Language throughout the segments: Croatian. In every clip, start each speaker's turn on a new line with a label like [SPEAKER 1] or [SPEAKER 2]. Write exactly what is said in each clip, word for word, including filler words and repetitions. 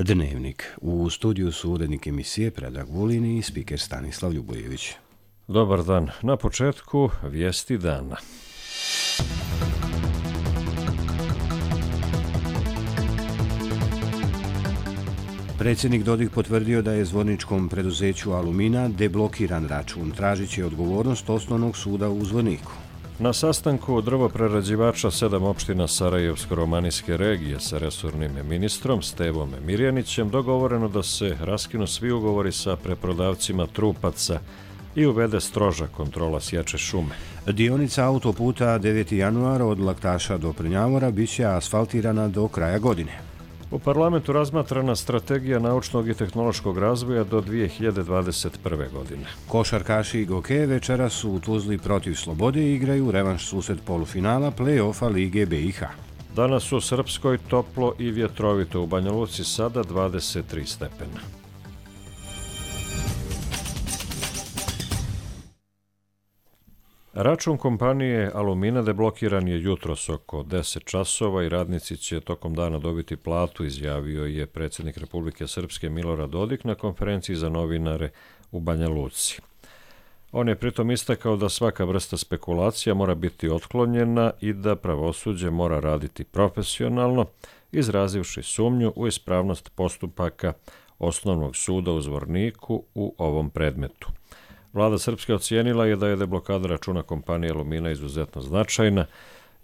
[SPEAKER 1] Dnevnik. U studiju su urednik emisije Predrag Vulin i spiker Stanislav Ljubojević.
[SPEAKER 2] Dobar dan. Na početku vijesti dana.
[SPEAKER 1] Predsjednik Dodik potvrdio da je zvorničkom preduzeću Alumina deblokiran račun. Tražit će odgovornost Osnovnog suda u Zvorniku.
[SPEAKER 2] Na sastanku drvoprerađivača sedam opština Sarajevsko-romanijske regije sa resornim ministrom Stevom Mirjanićem dogovoreno da se raskinu svi ugovori sa preprodavcima trupaca i uvede stroža kontrola sječe šume.
[SPEAKER 1] Dionica autoputa deveti januar od Laktaša do Prnjavora bit će asfaltirana do kraja godine.
[SPEAKER 2] U parlamentu razmatrana strategija naučnog i tehnološkog razvoja do dvije hiljade dvadeset prve. godine.
[SPEAKER 1] Košarkaši i Goke večeras su u Tuzli protiv Slobode i igraju revanš susret polufinala play-offa Lige B i H.
[SPEAKER 2] Danas u Srpskoj toplo i vjetrovito, u Banja Luci sada dvadeset tri stepena. Račun kompanije Alumina deblokiran je jutros oko deset časova i radnici će tokom dana dobiti platu, izjavio je predsjednik Republike Srpske Milorad Dodik na konferenciji za novinare u Banja Luci. On je pritom istakao da svaka vrsta spekulacija mora biti otklonjena i da pravosuđe mora raditi profesionalno, izrazivši sumnju u ispravnost postupaka Osnovnog suda u Zvorniku u ovom predmetu. Vlada Srpske ocijenila je da je deblokada računa kompanije Alumina izuzetno značajna,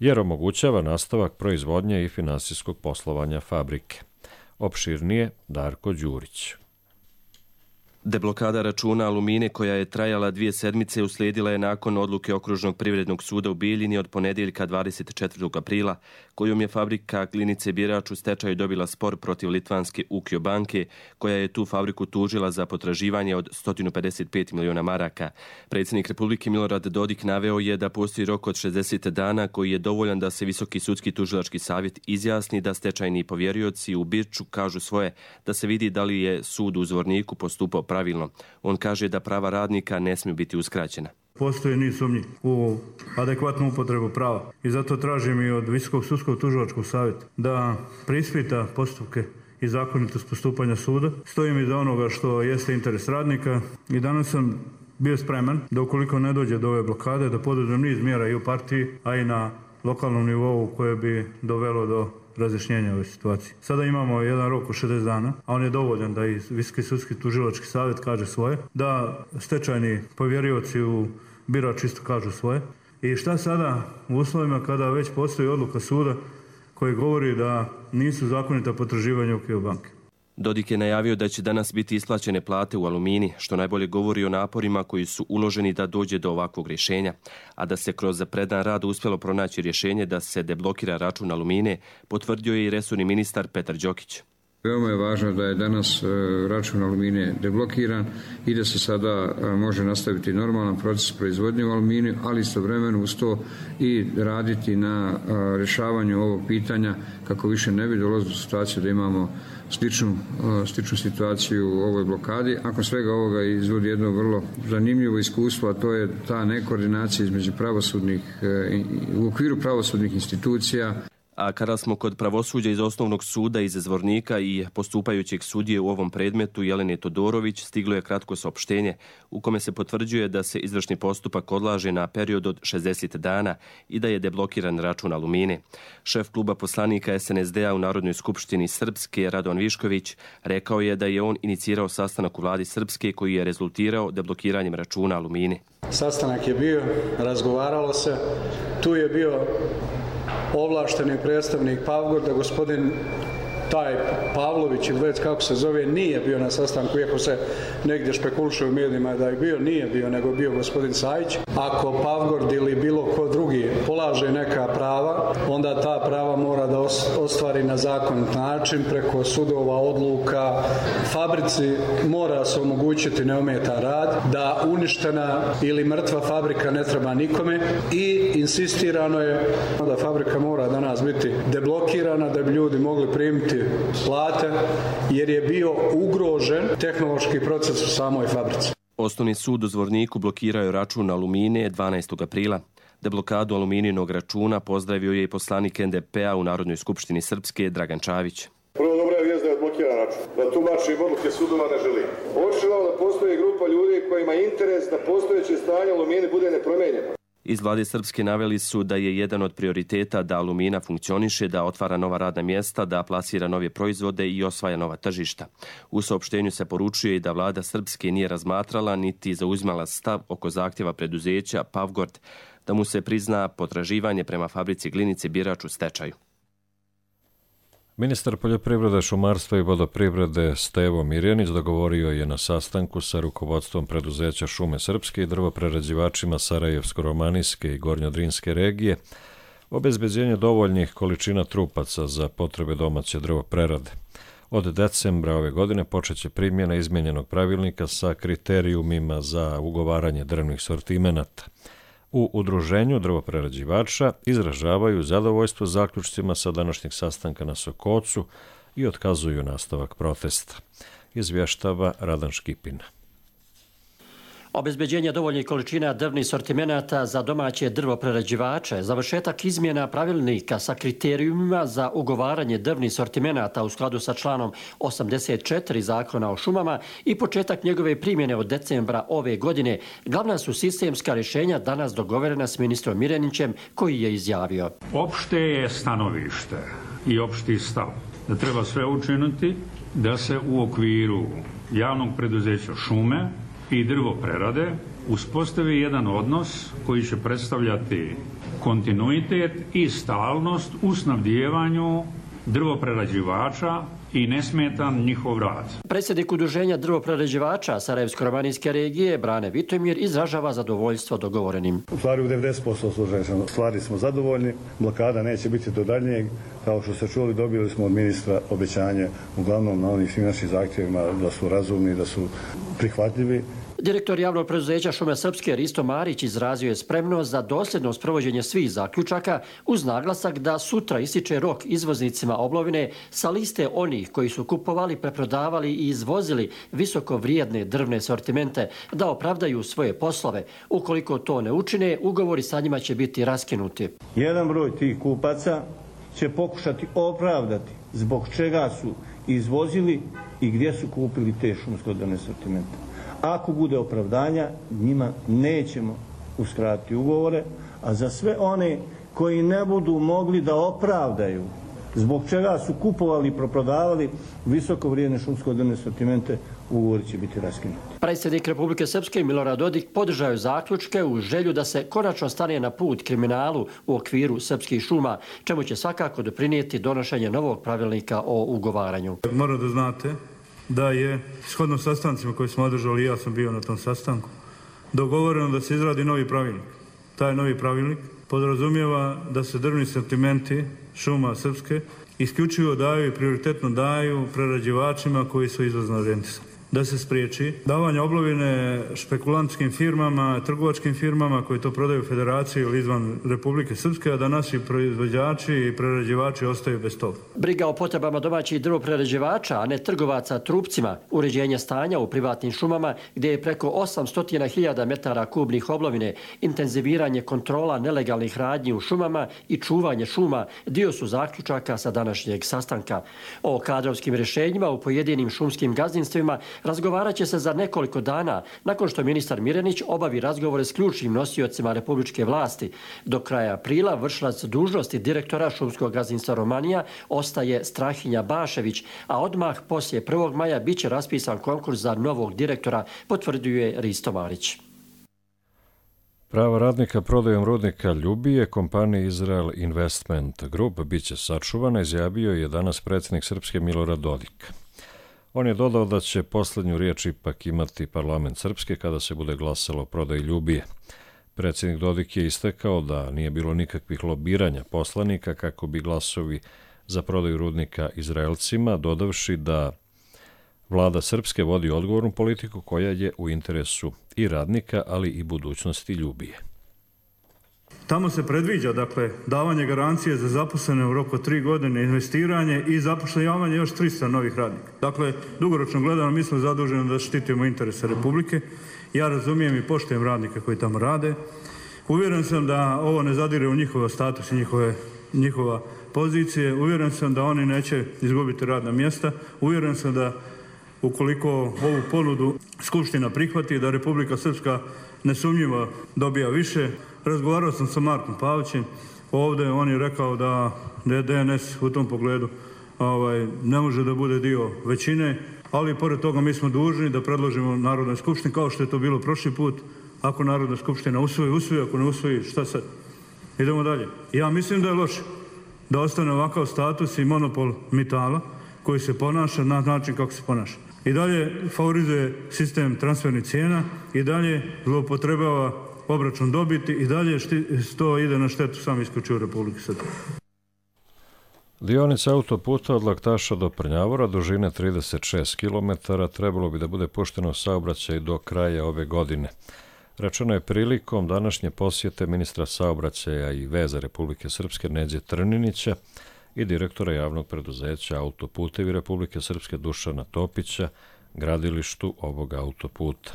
[SPEAKER 2] jer omogućava nastavak proizvodnje i finansijskog poslovanja fabrike. Opširnije Darko Đurić.
[SPEAKER 3] Deblokada računa Alumine, koja je trajala dvije sedmice, uslijedila je nakon odluke Okružnog privrednog suda u Bijeljini od ponedjeljka dvadeset četvrtog aprila, kojom je fabrika Klinice Birač u stečaju dobila spor protiv litvanske Ukio banke, koja je tu fabriku tužila za potraživanje od sto pedeset pet miliona maraka. Predsjednik Republike Milorad Dodik naveo je da postoji rok od šezdeset dana koji je dovoljan da se Visoki sudski tužilački savjet izjasni da stečajni povjerioci u Birču kažu svoje, da se vidi da li je sud u Zvorniku postupao pravilno. On kaže da prava radnika ne smiju biti uskraćena.
[SPEAKER 4] Postoji niz sumnji u adekvatnu upotrebu prava i zato tražim i od Visokog sudskog tužilačkog savjeta da preispita postupke i zakonitost postupanja suda. Stojim iza onoga što jeste interes radnika i danas sam bio spreman da ukoliko ne dođe do ove blokade da poduzmem niz mjera i u partiji, a i na lokalnom nivou koje bi dovelo do razjašnjenja ove situacije. Sada imamo jedan rok od šezdeset dana, a on je dovoljan da i Visoki sudski tužilački savjet kaže svoje, da stečajni povjerioci u Birač isto kažu svoje. I šta sada u uslovima kada već postoji odluka suda koji govori da nisu zakonita potraživanja Ukio banke?
[SPEAKER 3] Dodik je najavio da će danas biti isplaćene plate u Alumini, što najbolje govori o naporima koji su uloženi da dođe do ovakvog rješenja, a da se kroz predan rad uspjelo pronaći rješenje da se deblokira račun Alumine, potvrdio je i resorni ministar Petar Đokić.
[SPEAKER 5] Veoma je važno da je danas račun Alumine deblokiran i da se sada može nastaviti normalan proces proizvodnje u Alumini, ali istovremeno uz to i raditi na rješavanju ovog pitanja kako više ne bi dolazilo u situaciju da imamo sličnu, sličnu situaciju u ovoj blokadi. Nakon svega ovoga izvodi jedno vrlo zanimljivo iskustvo, a to je ta nekoordinacija između pravosudnih, u okviru pravosudnih institucija.
[SPEAKER 3] A kada smo kod pravosuđa iz Osnovnog suda iz Zvornika i postupajućeg sudije u ovom predmetu Jelene Todorović, stiglo je kratko saopštenje u kome se potvrđuje da se izvršni postupak odlaže na period od šezdeset dana i da je deblokiran račun Alumine. Šef kluba poslanika es en es de a u Narodnoj skupštini Srpske, Radovan Višković, rekao je da je on inicirao sastanak u vladi Srpske koji je rezultirao deblokiranjem računa Alumine.
[SPEAKER 6] Sastanak je bio, razgovaralo se, tu je bio ovlašteni predstavnik Pavgorda, gospodin taj Pavlović ili već kako se zove, nije bio na sastanku, iako se negdje špekuliše u medijima da je bio, nije bio, nego bio gospodin Sajić. Ako Pavgord ili bilo ko drugi polaže neka prava, onda ta prava mora da ostvari na zakonit način, preko sudova, odluka. Fabrici mora se omogućiti neometan rad, da uništena ili mrtva fabrika ne treba nikome i insistirano je da fabrika mora danas biti deblokirana da bi ljudi mogli primiti plate, jer je bio ugrožen tehnološki proces u samoj fabrici.
[SPEAKER 3] Osnovni sud u Zvorniku blokirao je račun Alumine dvanaestog aprila. Deblokadu aluminijinog računa pozdravio je i poslanik en de pe a u Narodnoj skupštini Srpske Dragan Čavić.
[SPEAKER 7] Prvo, dobra je vijest da je deblokiran račun. Da tumačim odluke sudova ne želim. Očigledno da postoji grupa ljudi kojima je interes da postojeće stanje Alumini bude nepromenjeno.
[SPEAKER 3] Iz vlade Srpske naveli su da je jedan od prioriteta da Alumina funkcioniše, da otvara nova radna mjesta, da plasira nove proizvode i osvaja nova tržišta. U saopštenju se poručuje i da vlada Srpske nije razmatrala niti zauzimala stav oko zahtjeva preduzeća Pavgord da mu se prizna potraživanje prema fabrici Glinice Birač u stečaju.
[SPEAKER 2] Ministar poljoprivrede, šumarstva i vodoprivrede Stevo Mirjanić dogovorio je na sastanku sa rukovodstvom preduzeća Šume Srpske i drvoprerađivačima Sarajevsko-romanijske i Gornjodrinske regije obezbeđenje dovoljnih količina trupaca za potrebe domaće drvoprerade. Od decembra ove godine počeće primjena izmijenjenog pravilnika sa kriterijumima za ugovaranje drvnih sortimenata. U udruženju drvoprerađivača izražavaju zadovoljstvo zaključcima sa današnjeg sastanka na Sokocu i otkazuju nastavak protesta. Izvještava Radan Škipina.
[SPEAKER 8] Obezbeđenje dovoljnih količina drvnih sortimenata za domaće drvoprerađivače, završetak izmjena pravilnika sa kriterijumima za ugovaranje drvnih sortimenata u skladu sa članom osamdeset četiri Zakona o šumama i početak njegove primjene od decembra ove godine glavna su sistemska rješenja danas dogovorena s ministrom Mirjanićem, koji je izjavio.
[SPEAKER 9] Opšte je stanovište i opšti stav da treba sve učiniti da se u okviru javnog preduzeća šume i drvoprerade uspostavi jedan odnos koji će predstavljati kontinuitet i stalnost u snabdijevanju drvoprerađivača i nesmetan njihov rad.
[SPEAKER 8] Predsjednik udruženja drvoprerađivača Sarajevsko-romanijske regije Brane Vitomir izražava zadovoljstvo dogovorenim.
[SPEAKER 10] U stvari u devedeset posto stvari smo zadovoljni, blokada neće biti do daljnjeg. Kao što ste čuli, dobili smo od ministra obećanje uglavnom na onih svim našim zahtjevima da su razumni, da su prihvatljivi.
[SPEAKER 8] Direktor javnog preduzeća Šume Srpske Risto Marić izrazio je spremnost za dosljedno sprovođenje svih zaključaka uz naglasak da sutra ističe rok izvoznicima oblovine sa liste onih koji su kupovali, preprodavali i izvozili visoko vrijedne drvne sortimente da opravdaju svoje poslove. Ukoliko to ne učine, ugovori sa njima će biti raskinuti.
[SPEAKER 10] Jedan broj tih kupaca će pokušati opravdati zbog čega su izvozili i gdje su kupili te šumsko-drvne sortimente. Ako bude opravdanja, njima nećemo uskratiti ugovore, a za sve one koji ne budu mogli da opravdaju zbog čega su kupovali i proprodavali visoko vrijedne šumsko-drvne sortimente, ugovori će biti raskinuti.
[SPEAKER 8] Predsjednik Republike Srpske Milorad Dodik podržao je zaključke u želju da se konačno stane na put kriminalu u okviru srpskih šuma, čemu će svakako doprinijeti donošenje novog pravilnika o ugovaranju.
[SPEAKER 4] Moram da znate da je shodno sastancima koje smo održali, ja sam bio na tom sastanku, dogovoreno da se izradi novi pravilnik. Taj novi pravilnik podrazumijeva da se drvni sortimenti Šuma Srpske isključivo daju i prioritetno daju prerađivačima koji su izvozno orijentisani. Da se spriječi davanje oblovine špekulantskim firmama, trgovačkim firmama koji to prodaju federaciji ili izvan Republike Srpske, a da naši proizvođači i prerađivači ostaju bez toga.
[SPEAKER 8] Briga o potrebama domaćih drvoprerađivača, a ne trgovaca trupcima, uređenje stanja u privatnim šumama gdje je preko osamsto hiljada metara kubnih oblovine, intenziviranje kontrola nelegalnih radnji u šumama i čuvanje šuma dio su zaključaka sa današnjeg sastanka. O kadrovskim rješenjima u pojedinim šumskim gazdinstvima razgovarat će se za nekoliko dana nakon što ministar Mirjanić obavi razgovore s ključnim nosiocima republičke vlasti. Do kraja aprila vršilac dužnosti direktora šumskog gazdinstva Romanija ostaje Strahinja Bašević, a odmah poslije prvog maja bit će raspisan konkurs za novog direktora, potvrđuje Risto Marić.
[SPEAKER 2] Prava radnika prodajom rudnika Ljubije kompanije Izrael Investment Group biće sačuvana, izjavio je danas predsjednik Srpske Milorad Dodik. On je dodao da će posljednju riječ ipak imati parlament Srpske kada se bude glasalo o prodaji Ljubije. Predsjednik Dodik je istakao da nije bilo nikakvih lobiranja poslanika kako bi glasovi za prodaju rudnika Izraelcima, dodavši da vlada Srpske vodi odgovornu politiku koja je u interesu i radnika, ali i budućnosti Ljubije.
[SPEAKER 4] Tamo se predviđa, dakle, davanje garancije za zaposlene u roku tri godine, investiranje i zapošljavanje još tristo novih radnika. Dakle, dugoročno gledano, mi smo zaduženi da štitimo interese Republike. Ja razumijem i poštujem radnike koji tamo rade. Uvjeren sam da ovo ne zadire u njihov status i njihove, njihova pozicije. Uvjeren sam da oni neće izgubiti radna mjesta. Uvjeren sam da ukoliko ovu ponudu Skupština prihvati, da Republika Srpska nesumnjivo dobija više. Razgovarao sam sa Markom Pavićem ovdje, on je rekao da je D N S u tom pogledu ovaj, ne može da bude dio većine, ali pored toga mi smo dužni da predložimo Narodnoj skupštini, kao što je to bilo prošli put. Ako Narodna skupština usvoji, usvoji, ako ne usvoji, šta sad? Idemo dalje. Ja mislim da je loše da ostane ovakav status i monopol Mitala koji se ponaša na način kako se ponaša. I dalje favorizuje sistem transfernih cijena, i dalje zloupotrebljava obračun dobiti, i dalje to ide na štetu sam isključivo Republike Srpske.
[SPEAKER 2] Dionica autoputa od Laktaša do Prnjavora, dužine trideset šest kilometara, trebalo bi da bude pušteno u saobraćaj do kraja ove godine. Rečeno je prilikom današnje posjete ministra saobraćaja i veza Republike Srpske Neđe Trninića i direktora javnog preduzeća Autoputevi Republike Srpske Dušana Topića gradilištu ovog autoputa,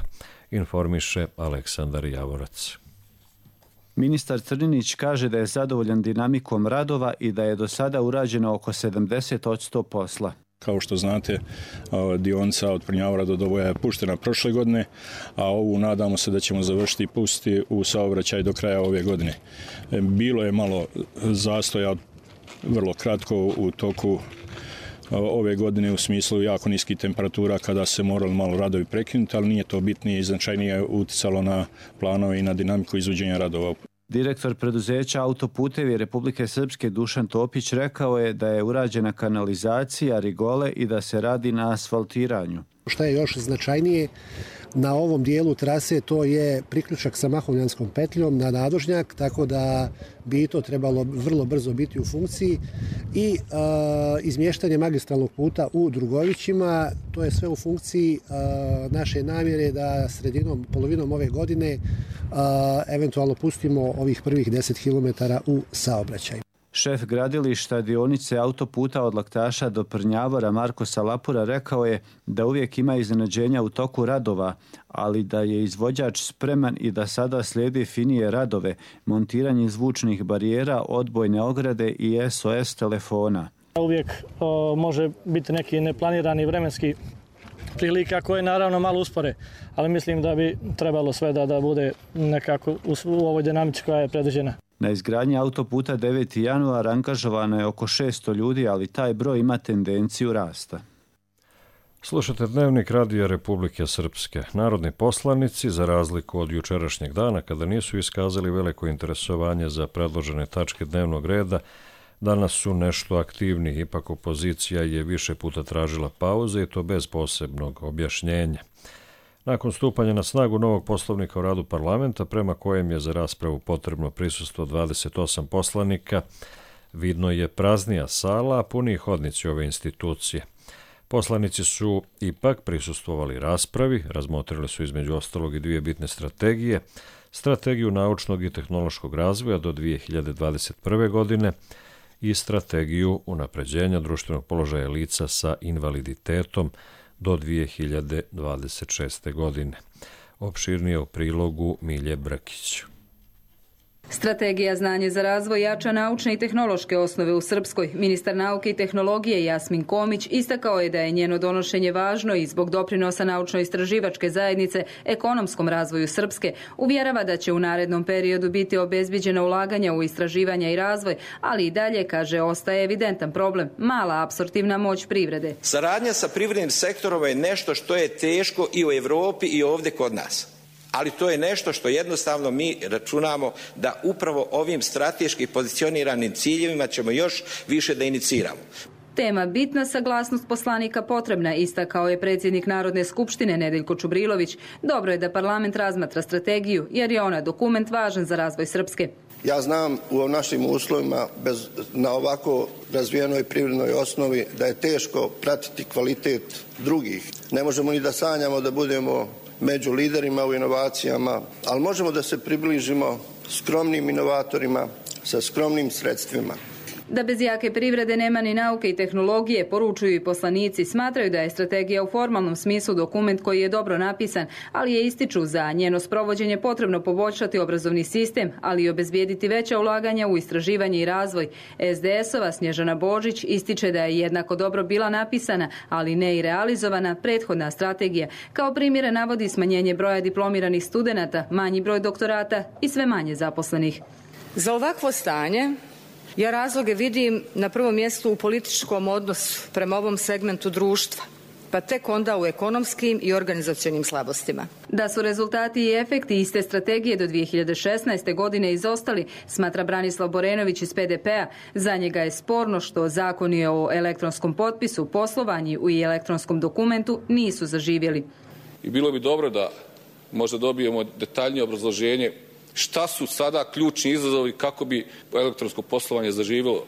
[SPEAKER 2] informiše Aleksandar Javorac.
[SPEAKER 11] Ministar Trninić kaže da je zadovoljan dinamikom radova i da je do sada urađeno oko sedamdeset posto posla.
[SPEAKER 12] Kao što znate, dionica od Prnjavora do Doboja je puštena prošle godine, a ovu nadamo se da ćemo završiti i pustiti u saobraćaj do kraja ove godine. Bilo je malo zastoja, vrlo kratko u toku ove godine u smislu jako niskih temperatura kada se morali malo radovi prekinuti, ali nije to bitnije i značajnije uticalo na planove i na dinamiku izvođenja radova.
[SPEAKER 11] Direktor preduzeća Autoputevi Republike Srpske Dušan Topić rekao je da je urađena kanalizacija, rigole i da se radi na asfaltiranju.
[SPEAKER 13] Šta je još značajnije, na ovom dijelu trase to je priključak sa Mahovljanskom petljom na nadožnjak, tako da bi to trebalo vrlo brzo biti u funkciji i a, izmještanje magistralnog puta u Drugovićima, to je sve u funkciji a, naše namjere da sredinom, polovinom ove godine a, eventualno pustimo ovih prvih deset kilometara u saobraćaj.
[SPEAKER 11] Šef gradilišta dionice autoputa od Laktaša do Prnjavora Marko Salapura rekao je da uvijek ima iznenađenja u toku radova, ali da je izvođač spreman i da sada slijedi finije radove, montiranje zvučnih barijera, odbojne ograde i S O S telefona.
[SPEAKER 14] Uvijek o, može biti neki neplanirani vremenski prilika koje naravno malo uspore, ali mislim da bi trebalo sve da, da bude nekako u, u ovoj dinamici koja je predviđena.
[SPEAKER 11] Na izgradnji autoputa deveti januar angažovano je oko šesto ljudi, ali taj broj ima tendenciju rasta.
[SPEAKER 2] Slušate Dnevnik Radija Republike Srpske. Narodni poslanici, za razliku od jučerašnjeg dana, kada nisu iskazali veliko interesovanje za predložene tačke dnevnog reda, danas su nešto aktivni. Ipak opozicija je više puta tražila pauze i to bez posebnog objašnjenja. Nakon stupanja na snagu novog poslovnika o radu parlamenta, prema kojem je za raspravu potrebno prisustvo dvadeset osam poslanika, vidno je praznija sala, a puni hodnici ove institucije. Poslanici su ipak prisustvovali raspravi, razmotrili su između ostalog i dvije bitne strategije, strategiju naučnog i tehnološkog razvoja do dvije hiljade dvadeset prve. godine i strategiju unapređenja društvenog položaja lica sa invaliditetom do dvije hiljade dvadeset šeste. godine. Opširnije u prilogu Milje Brkić.
[SPEAKER 15] Strategija znanje za razvoj jača naučne i tehnološke osnove u Srpskoj. Ministar nauke i tehnologije Jasmin Komić istakao je da je njeno donošenje važno i zbog doprinosa naučno-istraživačke zajednice ekonomskom razvoju Srpske. Uvjerava da će u narednom periodu biti obezbiđena ulaganja u istraživanja i razvoj, ali i dalje, kaže, ostaje evidentan problem, mala apsorptivna moć privrede.
[SPEAKER 16] Saradnja sa privrednim sektorom je nešto što je teško i u Evropi i ovdje kod nas. Ali to je nešto što jednostavno mi računamo da upravo ovim strateški pozicioniranim ciljevima ćemo još više da iniciramo.
[SPEAKER 15] Tema bitna, saglasnost poslanika potrebna, istakao je predsjednik Narodne skupštine Nedeljko Čubrilović. Dobro je da parlament razmatra strategiju, jer je ona dokument važan za razvoj Srpske.
[SPEAKER 17] Ja znam u našim uslovima bez, na ovako razvijenoj privrednoj osnovi da je teško pratiti kvalitet drugih. Ne možemo ni da sanjamo da budemo među liderima u inovacijama, ali možemo da se približimo skromnim inovatorima sa skromnim sredstvima.
[SPEAKER 15] Da bez jake privrede nema ni nauke i tehnologije, poručuju i poslanici. Smatraju da je strategija u formalnom smislu dokument koji je dobro napisan, ali je ističu za njeno sprovođenje potrebno poboljšati obrazovni sistem, ali i obezbijediti veća ulaganja u istraživanje i razvoj. es de es-ova Snježana Božić ističe da je jednako dobro bila napisana, ali ne i realizovana prethodna strategija. Kao primjere navodi smanjenje broja diplomiranih studenata, manji broj doktorata i sve manje zaposlenih.
[SPEAKER 18] Za ovakvo stanje ja razloge vidim na prvom mjestu u političkom odnosu prema ovom segmentu društva, pa tek onda u ekonomskim i organizacionim slabostima.
[SPEAKER 15] Da su rezultati i efekti iste strategije do dvije hiljade šesnaeste. godine izostali, smatra Branislav Borenović iz pe de pe-a. Za njega je sporno što zakoni o elektronskom potpisu, poslovanju i elektronskom dokumentu nisu zaživjeli.
[SPEAKER 19] I bilo bi dobro da možda dobijemo detaljnije obrazloženje šta su sada ključni izazovi kako bi elektronsko poslovanje zaživjelo.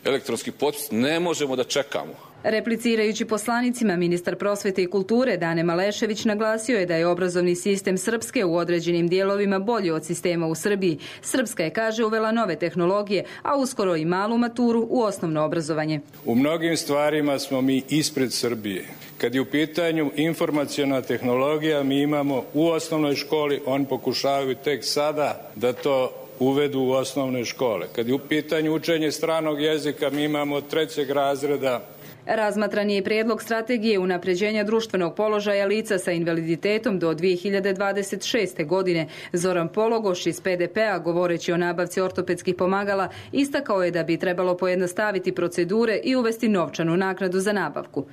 [SPEAKER 19] Elektronski potpis ne možemo da čekamo.
[SPEAKER 15] Replicirajući poslanicima, ministar prosvete i kulture Dane Malešević naglasio je da je obrazovni sistem Srpske u određenim dijelovima bolji od sistema u Srbiji. Srpska je, kaže, uvela nove tehnologije, a uskoro i malu maturu u osnovno obrazovanje.
[SPEAKER 20] U mnogim stvarima smo mi ispred Srbije. Kad je u pitanju informaciona tehnologija, mi imamo u osnovnoj školi, oni pokušavaju tek sada da to uvedu u osnovne škole. Kad je u pitanju učenje stranog jezika, mi imamo od trećeg razreda.
[SPEAKER 15] Razmatran je i prijedlog strategije unapređenja društvenog položaja lica sa invaliditetom do dvije hiljade dvadeset šeste. godine. Zoran Pologoš iz pe de pe-a, govoreći o nabavci ortopedskih pomagala, istakao je da bi trebalo pojednostaviti procedure i uvesti novčanu naknadu za nabavku.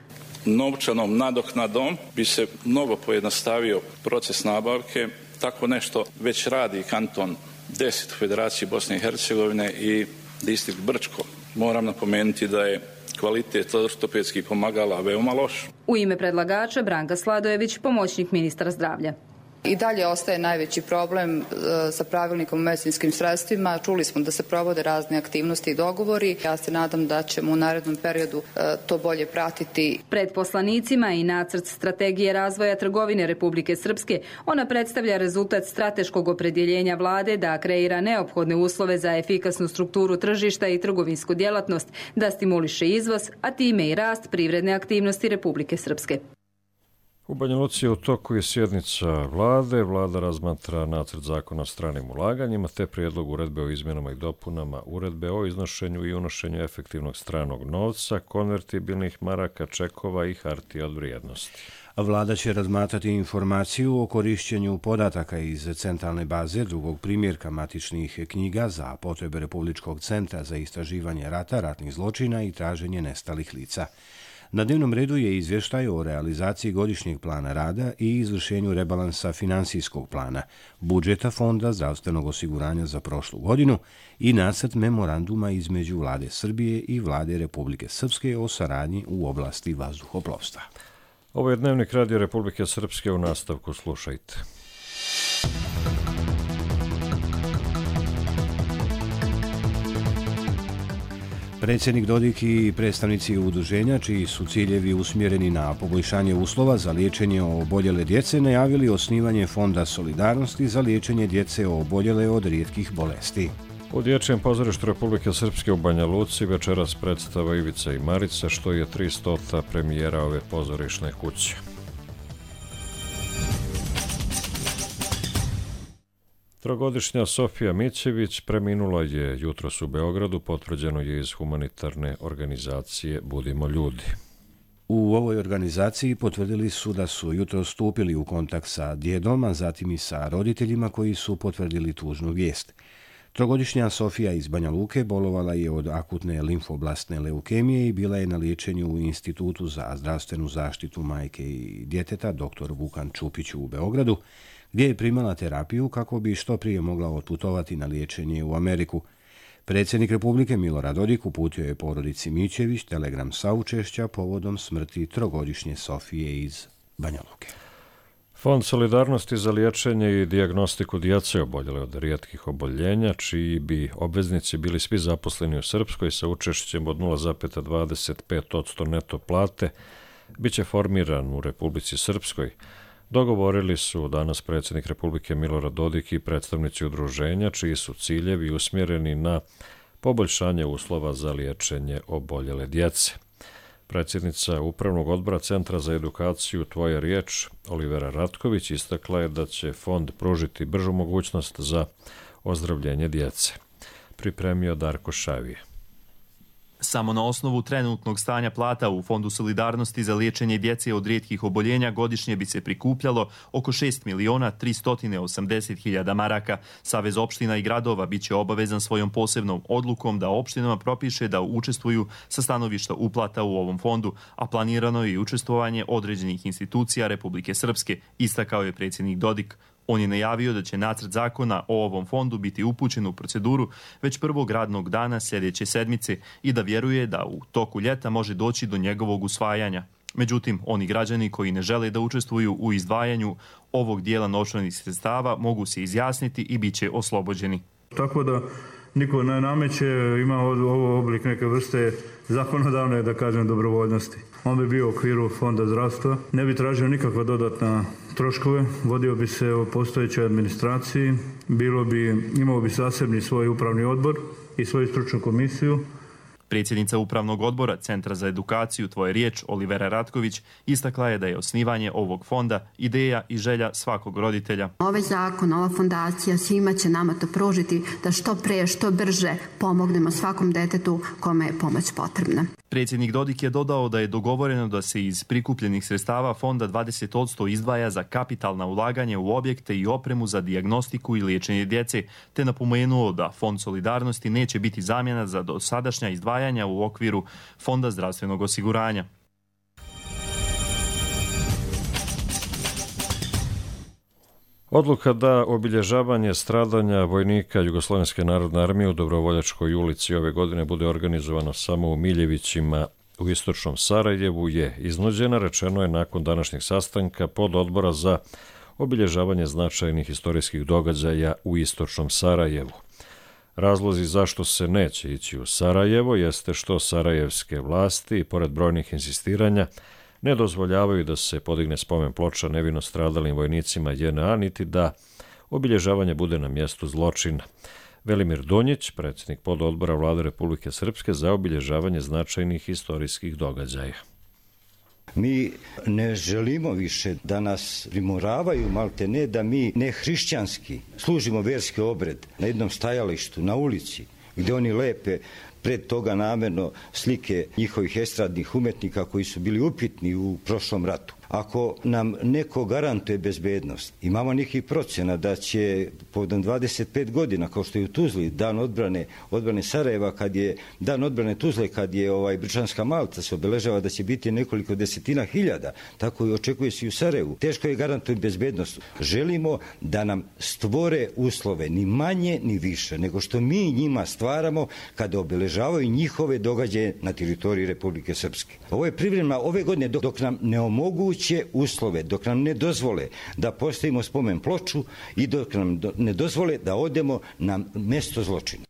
[SPEAKER 21] Novčanom nadoknadom bi se mnogo pojednostavio proces nabavke. Tako nešto već radi kanton deset u Federaciji Bosne i Hercegovine i distrikt Brčko. Moram napomenuti da je kvalitet ortopedskih pomagala veoma loš.
[SPEAKER 15] U ime predlagača Branka Sladojević, pomoćnik ministra zdravlja.
[SPEAKER 22] I dalje ostaje najveći problem e, sa pravilnikom o medicinskim sredstvima. Čuli smo da se provode razne aktivnosti i dogovori. Ja se nadam da ćemo u narednom periodu e, to bolje pratiti.
[SPEAKER 15] Pred poslanicima i nacrt strategije razvoja trgovine Republike Srpske, ona predstavlja rezultat strateškog opredjeljenja vlade da kreira neophodne uslove za efikasnu strukturu tržišta i trgovinsku djelatnost, da stimuliše izvoz, a time i rast privredne aktivnosti Republike Srpske.
[SPEAKER 2] U Banja Luci je u toku je sjednica vlade. Vlada razmatra nacrt zakona o stranim ulaganjima te prijedlog uredbe o izmjenama i dopunama uredbe o iznošenju i unošenju efektivnog stranog novca, konvertibilnih maraka, čekova i hartija od vrijednosti.
[SPEAKER 1] Vlada će razmatrati informaciju o korišćenju podataka iz centralne baze drugog primjerka matičnih knjiga za potrebe Republičkog centra za istraživanje rata, ratnih zločina i traženje nestalih lica. Na dnevnom redu je izvještaj o realizaciji godišnjeg plana rada i izvršenju rebalansa finansijskog plana, budžeta Fonda zdravstvenog osiguranja za prošlu godinu i nacrt memoranduma između Vlade Srbije i Vlade Republike Srpske o saradnji u oblasti vazduhoplovstva.
[SPEAKER 2] Ovo je Dnevnik Radio Republike Srpske, u nastavku slušajte.
[SPEAKER 1] Predsjednik Dodik i predstavnici udruženja, čiji su ciljevi usmjereni na poboljšanje uslova za liječenje oboljele djece, najavili osnivanje Fonda solidarnosti za liječenje djece oboljele od rijetkih bolesti.
[SPEAKER 2] U Dječjem pozorištu Republike Srpske u Banja Luci večeras predstava Ivica i Marica, što je tristota premijera ove pozorišne kuće. Trogodišnja Sofija Mićević preminula je jutros u Beogradu, potvrđeno je iz humanitarne organizacije Budimo ljudi.
[SPEAKER 1] U ovoj organizaciji potvrdili su da su jutros stupili u kontakt sa djedom, a zatim i sa roditeljima koji su potvrdili tužnu vijest. Trogodišnja Sofija iz Banja Luke bolovala je od akutne limfoblastne leukemije i bila je na liječenju u Institutu za zdravstvenu zaštitu majke i djeteta doktor Vukan Čupić u Beogradu, gdje je primala terapiju kako bi što prije mogla otputovati na liječenje u Ameriku. Predsjednik Republike Milorad Dodik uputio je porodici Mićević telegram saučešća povodom smrti trogodišnje Sofije iz Banja Luke.
[SPEAKER 2] Fond solidarnosti za liječenje i dijagnostiku djece oboljele od rijetkih oboljenja, čiji bi obveznici bili svi zaposleni u Srpskoj sa učešćem od nula zarez dvadeset pet posto neto plate, bit će formiran u Republici Srpskoj. Dogovorili su danas predsjednik Republike Milorad Dodik i predstavnici udruženja, čiji su ciljevi usmjereni na poboljšanje uslova za liječenje oboljele djece. Predsjednica Upravnog odbora Centra za edukaciju Tvoja riječ, Olivera Ratković, istakla je da će fond pružiti bržu mogućnost za ozdravljenje djece. Pripremio Darko Šavije.
[SPEAKER 5] Samo na osnovu trenutnog stanja plata u Fondu solidarnosti za liječenje djece od rijetkih oboljenja godišnje bi se prikupljalo oko šest miliona tristo osamdeset hiljada maraka. Savez opština i gradova biće obavezan svojom posebnom odlukom da opštinama propiše da učestvuju sa stanovišta uplata u ovom fondu, a planirano je i učestvovanje određenih institucija Republike Srpske, istakao je predsjednik Dodik. On je najavio da će nacrt zakona o ovom fondu biti upućen u proceduru već prvog radnog dana sljedeće sedmice i da vjeruje da u toku ljeta može doći do njegovog usvajanja. Međutim, oni građani koji ne žele da učestvuju u izdvajanju ovog dijela novčanih sredstava mogu se izjasniti i bit će oslobođeni.
[SPEAKER 4] Tako da niko ne nameće, ima ovo oblik neke vrste zakonodavne, da kažem, dobrovoljnosti. On bi bio u okviru Fonda zdravstva, ne bi tražio nikakva dodatna troškove, vodio bi se o postojećoj administraciji, bilo bi, imao bi zasebni svoj upravni odbor i svoju stručnu komisiju.
[SPEAKER 5] Predsjednica Upravnog odbora Centra za edukaciju Tvoja riječ, Olivera Ratković, istakla je da je osnivanje ovog fonda ideja i želja svakog roditelja.
[SPEAKER 6] Ovaj zakon, ova fondacija svima će nama to pružiti da što pre, što brže pomognemo svakom detetu kome je pomoć potrebna.
[SPEAKER 5] Predsjednik Dodik je dodao da je dogovoreno da se iz prikupljenih sredstava fonda dvadeset posto izdvaja za kapitalna ulaganja u objekte i opremu za dijagnostiku i liječenje djece, te napomenuo da Fond solidarnosti neće biti zamjena za dosadašnja izdvajanja u okviru Fonda zdravstvenog osiguranja.
[SPEAKER 2] Odluka da obilježavanje stradanja vojnika Jugoslovenske narodne armije u Dobrovoljačkoj ulici ove godine bude organizovano samo u Miljevićima u istočnom Sarajevu je iznuđena, rečeno je nakon današnjeg sastanka pod odbora za obilježavanje značajnih istorijskih događaja u istočnom Sarajevu. Razlozi zašto se neće ići u Sarajevo jeste što sarajevske vlasti, pored brojnih insistiranja, ne dozvoljavaju da se podigne spomen ploča nevino stradalim vojnicima J N A, niti da obilježavanje bude na mjestu zločina. Velimir Donjić, predsjednik pododbora Vlade Republike Srpske za obilježavanje značajnih istorijskih događaja.
[SPEAKER 23] Mi ne želimo više da nas primoravaju, malte ne, da mi ne hrišćanski služimo verski obred na jednom stajalištu, na ulici, gdje oni lepe pred toga namjerno slike njihovih estradnih umetnika koji su bili upitni u prošlom ratu. Ako nam neko garantuje bezbednost, imamo nekih procjena da će povodom dvadeset pet godina, kao što je u Tuzli, dan odbrane, odbrane Sarajeva, kad je dan odbrane Tuzle, kad je ovaj Bričanska Malta se obeležava da će biti nekoliko desetina hiljada, tako i očekuje se i u Sarajevu. Teško je garantujem bezbednost. Želimo da nam stvore uslove, ni manje ni više, nego što mi njima stvaramo kada obeležavaju njihove događaje na teritoriji Republike Srpske. Ovo je privremeno ove godine dok, dok nam ne omoguće uslove, dok nam ne dozvole da postavimo spomen ploču i dok nam ne dozvole da odemo na mjesto zločina.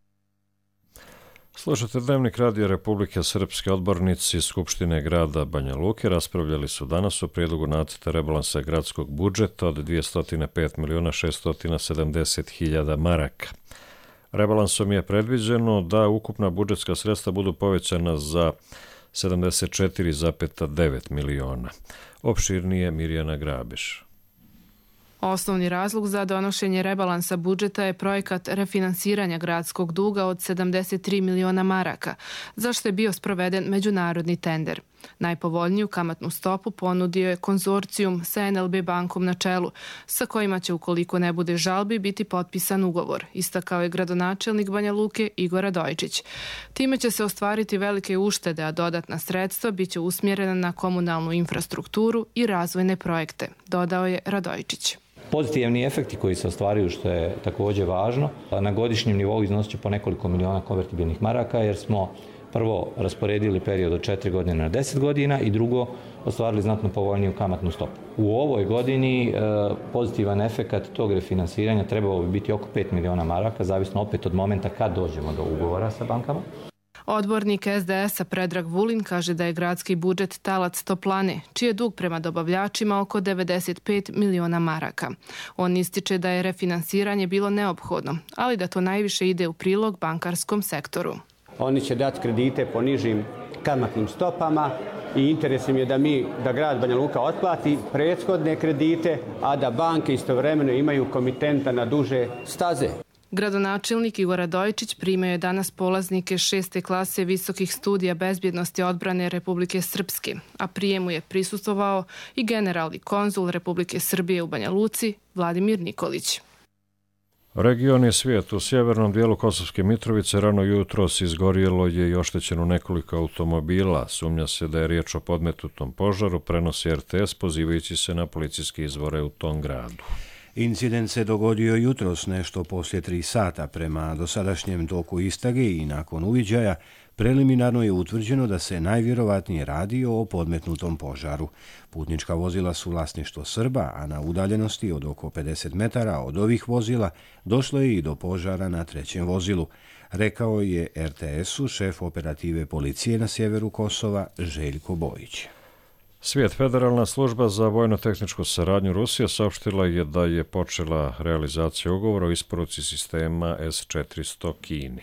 [SPEAKER 2] Slušate Dnevnik radija Republike Srpske. Odbornici Skupštine grada Banja Luke raspravljali su danas o prijedlogu nacrta rebalansa gradskog budžeta od dvjesto pet miliona šesto sedamdeset hiljada maraka. Rebalansom je predviđeno da ukupna budžetska sredstva budu povećana za sedamdeset četiri zarez devet miliona. Opširnije Mirjana Grabeš.
[SPEAKER 24] Osnovni razlog za donošenje rebalansa budžeta je projekat refinansiranja gradskog duga od sedamdeset tri miliona maraka, za što je bio sproveden međunarodni tender. Najpovoljniju kamatnu stopu ponudio je konzorcijum sa N L B bankom na čelu, sa kojima će, ukoliko ne bude žalbi, biti potpisan ugovor, istakao je gradonačelnik Banja Luke Igor Radojičić. Time će se ostvariti velike uštede, a dodatna sredstva biće usmjerena na komunalnu infrastrukturu i razvojne projekte, dodao je Radojičić.
[SPEAKER 25] Pozitivni efekti koji se ostvaruju, što je također važno, na godišnjem nivou iznosit će po nekoliko miliona konvertibilnih maraka, jer smo prvo rasporedili period od četiri godine na deset godina i drugo ostvarili znatno povoljniju kamatnu stopu. U ovoj godini e, pozitivan efekat tog refinansiranja trebao bi biti oko pet miliona maraka, zavisno opet od momenta kad dođemo do ugovora sa bankama.
[SPEAKER 24] Odbornik es de es-a Predrag Vulin kaže da je gradski budžet talac toplane, čiji je dug prema dobavljačima oko devedeset pet miliona maraka. On ističe da je refinansiranje bilo neophodno, ali da to najviše ide u prilog bankarskom sektoru.
[SPEAKER 3] Oni će dati kredite po nižim kamatnim stopama i interes im je da mi, da grad Banja Luka otplati prethodne kredite, a da banke istovremeno imaju komitenta na duže staze.
[SPEAKER 24] Gradonačelnik Igor Radojičić primio je danas polaznike šeste klase visokih studija bezbjednosti odbrane Republike Srpske, a prijemu je prisustvovao i generalni konzul Republike Srbije u Banja Luci Vladimir Nikolić.
[SPEAKER 2] Region je svijet. U sjevernom dijelu Kosovske Mitrovice rano jutros izgorjelo je i oštećeno nekoliko automobila. Sumnja se da je riječ o podmetnutom požaru, prenosi er te es pozivajući se na policijske izvore u tom gradu.
[SPEAKER 1] Incident se dogodio jutros nešto poslije tri sata. Prema dosadašnjem toku istrage i nakon uviđaja, preliminarno je utvrđeno da se najvjerovatnije radi o podmetnutom požaru. Putnička vozila su vlasništvo Srba, a na udaljenosti od oko pedeset metara od ovih vozila došlo je i do požara na trećem vozilu, rekao je er te es-u šef operative policije na sjeveru Kosova Željko Bojić.
[SPEAKER 2] Svijet Federalna služba za vojno-tehničku saradnju Rusije saopštila je da je počela realizacija ugovora o isporuci sistema es četiristo Kini.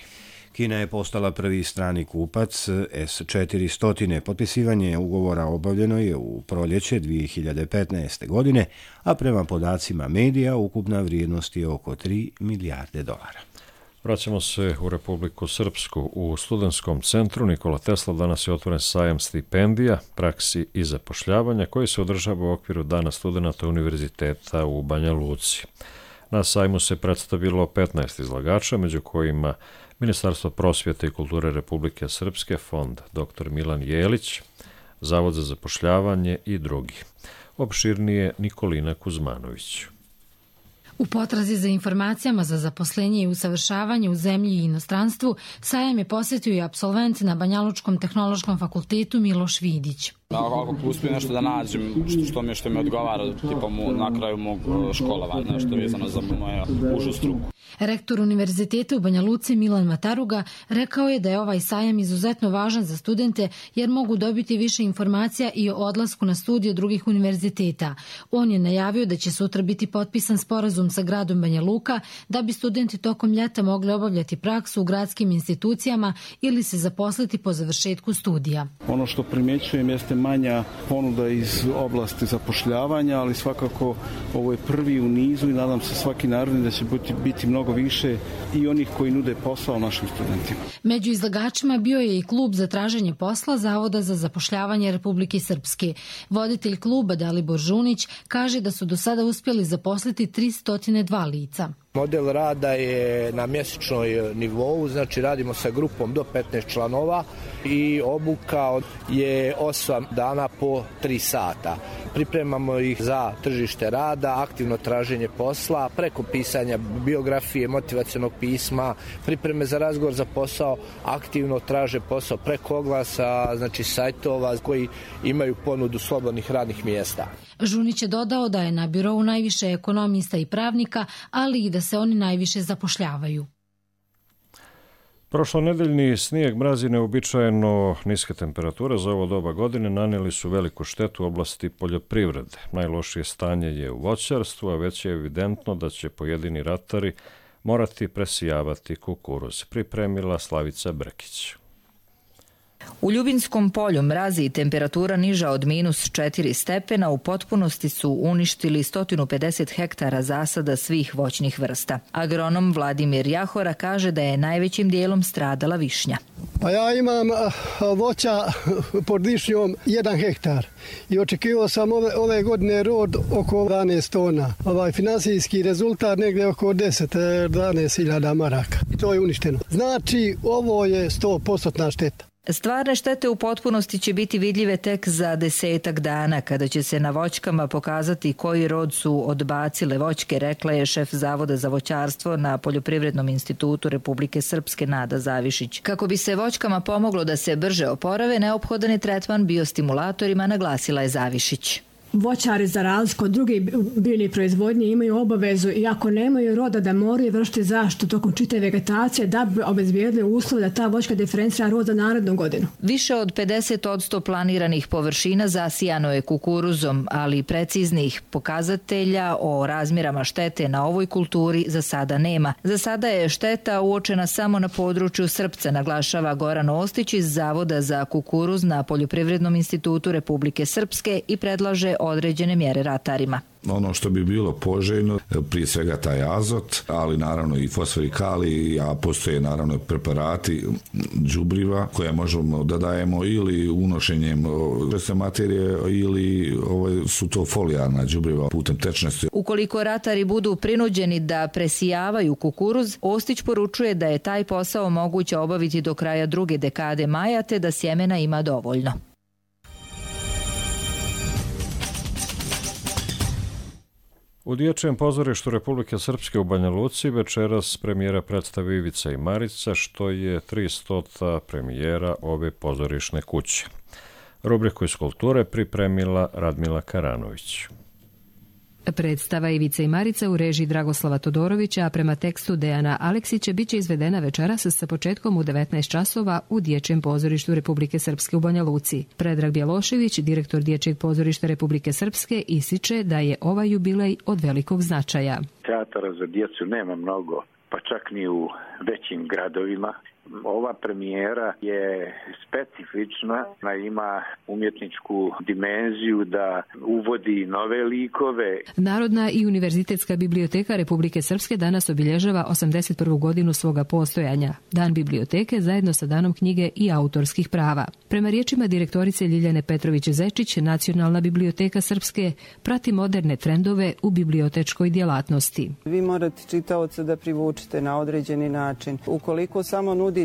[SPEAKER 1] Kina je postala prvi strani kupac es četiristo. Potpisivanje ugovora obavljeno je u proljeće dvije hiljade petnaeste. godine, a prema podacima medija ukupna vrijednost je oko tri milijarde dolara.
[SPEAKER 2] Vraćamo se u Republiku Srpsku. U studentskom centru Nikola Tesla danas je otvoren sajam stipendija, praksi i zapošljavanja koji se održava u okviru Dana studenata Univerziteta u Banja Luci. Na sajmu se predstavilo petnaest izlagača, među kojima Ministarstvo prosvjete i kulture Republike Srpske, fond doktor Milan Jelić, Zavod za zapošljavanje i drugi. Opširnije Nikolina Kuzmanović.
[SPEAKER 7] U potrazi za informacijama za zaposlenje i usavršavanje u zemlji i inostranstvu, sajam je posjetio i absolvent na Banjalučkom tehnološkom fakultetu Miloš Vidić.
[SPEAKER 8] Ako uspijem nešto da nađem što mi, što mi odgovara tipa mu, na kraju mog školovanja, nešto vezano za moju užu struku.
[SPEAKER 7] Rektor Univerziteta u Banja Luci Milan Mataruga rekao je da je ovaj sajam izuzetno važan za studente jer mogu dobiti više informacija i o odlasku na studije drugih univerziteta. On je najavio da će sutra biti potpisan sporazum sa gradom Banja Luka da bi studenti tokom ljeta mogli obavljati praksu u gradskim institucijama ili se zaposliti po završetku studija.
[SPEAKER 9] Ono što primjećujem jeste manja ponuda iz oblasti zapošljavanja, ali svakako ovo je prvi u nizu i nadam se svaki naredni da će biti, biti mnogo više i onih koji nude posao našim studentima.
[SPEAKER 7] Među izlagačima bio je i klub za traženje posla Zavoda za zapošljavanje Republike Srpske. Voditelj kluba Dalibor Žunić kaže da su do sada uspjeli zaposliti tristo dva lica.
[SPEAKER 10] Model rada je na mjesečnoj nivou, znači radimo sa grupom do petnaest članova i obuka je osam dana po tri sata. Pripremamo ih za tržište rada, aktivno traženje posla, preko pisanja biografije, motivacionog pisma, pripreme za razgovor za posao, aktivno traže posao preko oglasa, znači sajtova koji imaju ponudu slobodnih radnih mjesta.
[SPEAKER 7] Žunić je dodao da je na birovu najviše ekonomista i pravnika, ali i da se oni najviše zapošljavaju.
[SPEAKER 2] Prošlonedeljni snijeg, mraz i neuobičajeno niske temperature za ovo doba godine nanijeli su veliku štetu u oblasti poljoprivrede. Najlošije stanje je u voćarstvu, a već je evidentno da će pojedini ratari morati presijavati kukuruz. Pripremila Slavica Brkić.
[SPEAKER 26] U Ljubinskom polju mrazi i temperatura niža od minus četiri stepena u potpunosti su uništili sto pedeset hektara zasada svih voćnih vrsta. Agronom Vladimir Jahora kaže da je najvećim dijelom stradala višnja.
[SPEAKER 27] Pa ja imam voća pod višnjom jedan hektar i očekivao sam ove, ove godine rod oko dvanaest tona. Ovaj finansijski rezultat negdje oko deset do dvanaest hiljada maraka. I to je uništeno. Znači ovo je sto posto šteta.
[SPEAKER 26] Stvarne štete u potpunosti će biti vidljive tek za desetak dana, kada će se na voćkama pokazati koji rod su odbacile voćke, rekla je šef Zavoda za voćarstvo na Poljoprivrednom institutu Republike Srpske Nada Zavišić. Kako bi se voćkama pomoglo da se brže oporave, neophodan je tretman biostimulatorima, naglasila je Zavišić.
[SPEAKER 11] voćari za razliku od drugih biljnih proizvodnje imaju obavezu i ako nemaju roda da moraju vršiti zaštitu tokom čitave vegetacije da bi obezbijedili uslov da ta voćka diferencira rod za narednu godinu.
[SPEAKER 26] Više od pedeset posto planiranih površina zasijano je kukuruzom, ali preciznih pokazatelja o razmjerama štete na ovoj kulturi za sada nema. Za sada je šteta uočena samo na području Srpca, naglašava Goran Ostić iz Zavoda za kukuruz na Poljoprivrednom institutu Republike Srpske i predlaže određene mjere ratarima.
[SPEAKER 12] Ono što bi bilo poželjno, prije svega taj azot, ali naravno i fosfor i kalij, a postoje naravno preparati đubriva koje možemo da dajemo ili unošenjem vrste materije ili ovaj, su to folijarna đubriva putem tečnosti.
[SPEAKER 26] Ukoliko ratari budu prinuđeni da presijavaju kukuruz, Ostić poručuje da je taj posao moguće obaviti do kraja druge dekade maja te da sjemena ima dovoljno.
[SPEAKER 2] U Dječjem pozorištu Republike Srpske u Banja Luci večeras premijera predstave Ivica i Marica, što je tristota premijera ove pozorišne kuće. Rubriku iz kulture pripremila Radmila Karanović.
[SPEAKER 13] Predstava Ivica i Marica u režiji Dragoslava Todorovića, a prema tekstu Dejana Aleksića biće izvedena večeras sa početkom u devetnaest časova u Dječjem pozorištu Republike Srpske u Banja Luci. Predrag Bjelošević, direktor Dječjeg pozorišta Republike Srpske, ističe da je ovaj jubilej od velikog značaja.
[SPEAKER 14] Teatara za djecu nema mnogo, pa čak ni u većim gradovima. Ova premijera je specifična, ona ima umjetničku dimenziju da uvodi nove likove.
[SPEAKER 13] Narodna i univerzitetska biblioteka Republike Srpske danas obilježava osamdeset prvu godinu svoga postojanja. Dan biblioteke zajedno sa danom knjige i autorskih prava. Prema riječima direktorice Ljiljane Petrović-Zečić, Nacionalna biblioteka Srpske prati moderne trendove u bibliotečkoj djelatnosti.
[SPEAKER 16] Vi morate čitaoca da privučite na određeni način. Ukoliko samo nudite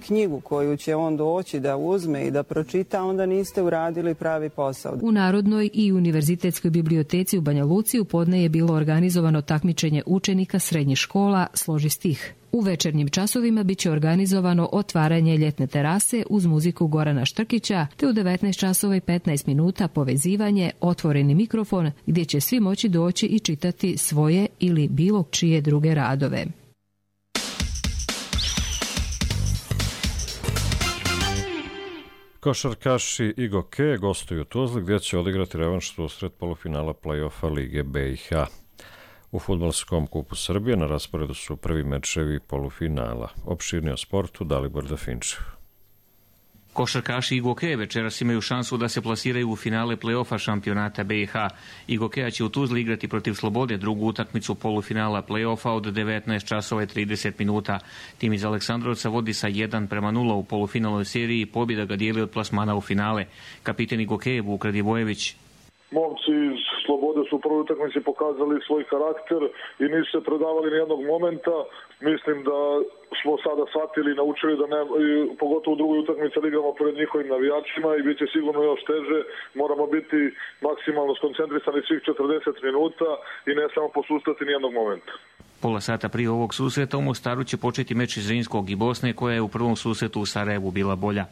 [SPEAKER 16] knjigu koju će on doći da uzme i da pročita, onda niste uradili pravi posao.
[SPEAKER 13] U Narodnoj i univerzitetskoj biblioteci u Banja Luci u podne je bilo organizovano takmičenje učenika srednjih škola Složi stih. U večernjim časovima biće organizovano otvaranje ljetne terase uz muziku Gorana Štrkića, te u devetnaest časova i petnaest minuta povezivanje Otvoreni mikrofon, gdje će svi moći doći i čitati svoje ili bilo čije druge radove.
[SPEAKER 2] Košarkaši Igoke gostuju u Tuzli gdje će odigrati revanš susret polufinala play-offa Lige B i H. U fudbalskom kupu Srbije na rasporedu su prvi mečevi polufinala. Opširnije o sportu Dalibor Dafinčev.
[SPEAKER 17] Košarkaši Igoke večeras imaju šansu da se plasiraju u finale play-offa šampionata B i H. Igokeja će u Tuzli igrati protiv Slobode drugu utakmicu polufinala play-offa od devetnaest časova i trideset minuta. Tim iz Aleksandrovca vodi sa jedan prema nula u polufinalnoj seriji i pobjeda ga dijeli od plasmana u finale. Kapiten Igokeje Vuk Radivojević.
[SPEAKER 18] Momci iz Slobode su u prvoj utakmici pokazali svoj karakter i nisu se predavali nijednog momenta. Mislim da smo sada shvatili i naučili da ne, pogotovo u drugoj utakmici igramo pred njihovim navijačima i bit će sigurno još teže. Moramo biti maksimalno skoncentrisani svih četrdeset minuta i ne samo posustati nijednog momenta.
[SPEAKER 17] Pola sata prije ovog susreta u Mostaru će početi meč iz Zrinskog i Bosne, koja je u prvom susretu u Sarajevu bila bolja.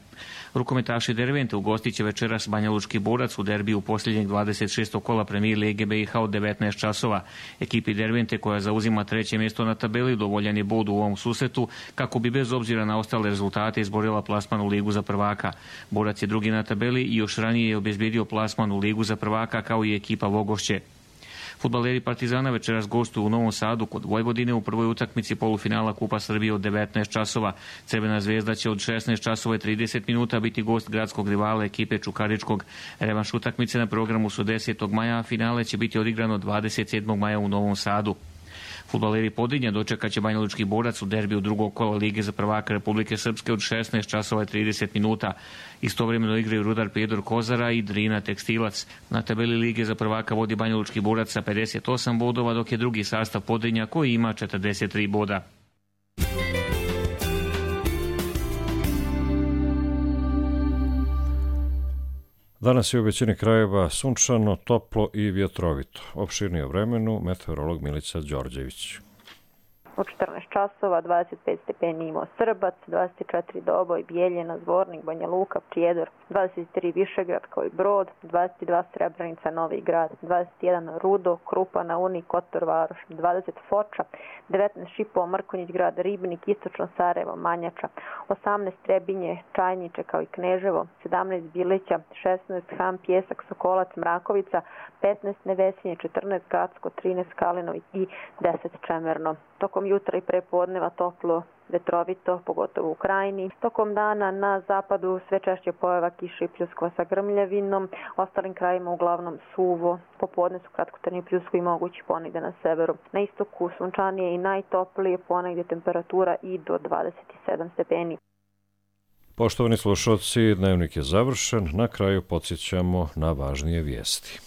[SPEAKER 17] Rukometaši Dervente ugostit će večeras Banja Lučki Borac u derbiju posljednjeg dvadeset šestog kola Premier Lige B i H od devetnaest časova. Ekipi Dervente, koja zauzima treće mjesto na tabeli, dovoljan je bod u ovom susretu kako bi bez obzira na ostale rezultate izborila plasman u Ligu za prvaka. Borac je drugi na tabeli i još ranije je obezbijedio plasman u Ligu za prvaka kao i ekipa Vogošće. Fudbaleri Partizana večeras gostuju u Novom Sadu kod Vojvodine u prvoj utakmici polufinala Kupa Srbije od devetnaest časova. Crvena zvezda će od šesnaest časova i trideset minuta biti gost gradskog rivala ekipe Čukaričkog. Revanš utakmice na programu su desetog maja, a finale će biti odigrano dvadeset sedmog maja u Novom Sadu. Fudbaleri Podrinja dočekat će Banja Lučki Borac u derbiju drugog kola Lige za prvaka Republike Srpske od šesnaest časova i trideset minuta. Istovremeno igraju Rudar Prijedor Kozara i Drina Tekstilac. Na tabeli Lige za prvaka vodi Banja Lučki Borac sa pedeset osam bodova, dok je drugi sastav Podrinja koji ima četrdeset tri boda.
[SPEAKER 2] Danas je u većini krajeva sunčano, toplo i vjetrovito. Opširnije o vremenu meteorolog Milica Đorđević.
[SPEAKER 4] U četrnaest časova, dvadeset pet stepeni imao Srbac, dvadeset četiri Doboj, Bijeljina, Zvornik, Banja Luka, Prijedor, dvadeset tri Višegrad kao i Brod, dvadeset dva Srebrenica, Novi Grad, dvadeset jedan Rudo, Krupa na Uni, Kotor Varoš, dvadeset Foča, devetnaest Šipovo, Mrkonjić Grad, Ribnik, Istočno Sarajevo, Manjača, osamnaest Trebinje, Čajniče kao i Kneževo, sedamnaest Bilića, šesnaest Ham, Pjesak, Sokolac, Mrakovica, petnaest Nevesinje, četrnaest Gacko, trinaest Kalino i deset Čemerno. Tokom jutra i prepodneva toplo, vetrovito, pogotovo u krajini. Tokom dana na zapadu sve češće pojava kiše i pljuskova sa grmljavinom, ostalim krajima uglavnom suvo, popodne su kratkotrajni pljuskovi mogući ponegde na severu. Na istoku sunčanije i najtoplije, ponegde temperatura i do dvadeset sedam stepeni.
[SPEAKER 2] Poštovani slušalci, dnevnik je završen. Na kraju podsjećamo na važnije vijesti.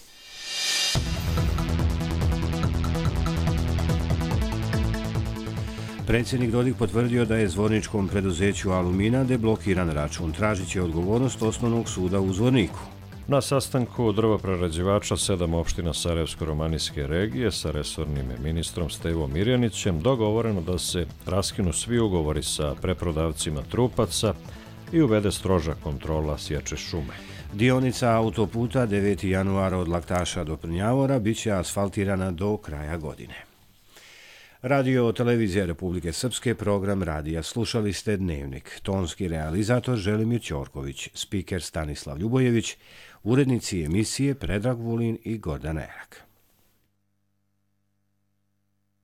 [SPEAKER 1] Predsjednik Dodik potvrdio da je zvorničkom preduzeću Alumina deblokiran račun. Tražit će odgovornost Osnovnog suda u Zvorniku.
[SPEAKER 2] Na sastanku drvoprerađivača sedam opština Sarajevsko-romanijske regije sa resornim ministrom Stevom Mirjanićem dogovoreno da se raskinu svi ugovori sa preprodavcima trupaca i uvede stroža kontrola sječe šume.
[SPEAKER 1] Dionica autoputa deveti januar od Laktaša do Prnjavora biće asfaltirana do kraja godine. Radio Televizija Republike Srpske, program radija. Slušali ste Dnevnik. Tonski realizator Želimir Ćorković, spiker Stanislav Ljubojević, urednici emisije Predrag Vulin i Gordana Erak.